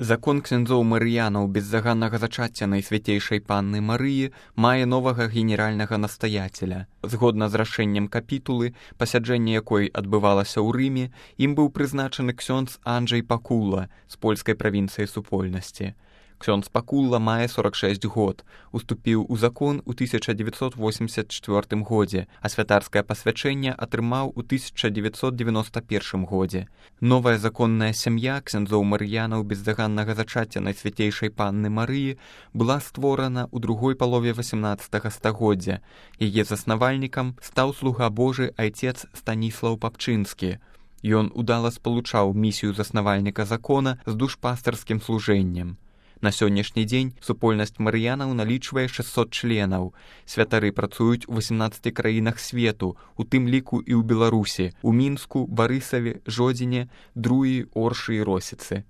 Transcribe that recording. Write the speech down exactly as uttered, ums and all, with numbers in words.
Закон ксяндзоў марыянаў беззаганнага зачацця Найсвятейшай Панны Марыі мае новага генеральнага настаяцеля. Згодна з рашэннем капітулы, пасяджэнне якой адбывалася ў Рыме, ім быў прызначаны ксёндз Анджэй Пакула з польскай правінцыі супольнасці. Ксёндз Пакула мае сорак шэсць год, уступіў у закон у тысяча дзевяцьсот восемьдесят чвёртым годзе, а святарскае пасвячэнне атрымаў у тысяча дзевяцьсот девяносто первым годзе. Новая законная сям'я ксяндзоў марыянаў беззаганнага зачацця Найсвятейшай Панны Марыі была створана ў другой палове васямнаццатага стагоддзя. Яе заснавальнікам стаў слуга Божы айцец Станіслаў Папчынскі. Ён удала спалучаў місію заснавальніка закона з душпастарскім служэннем. На сённяшні дзень супольнасць марыянаў налічвае шэсцьсот членаў. Святары працуюць у васемнаццаці краінах свету, у тым ліку і ў Беларусі, у Мінску, Барысаве, Жодзіне, Друі, Оршы і Росіцы.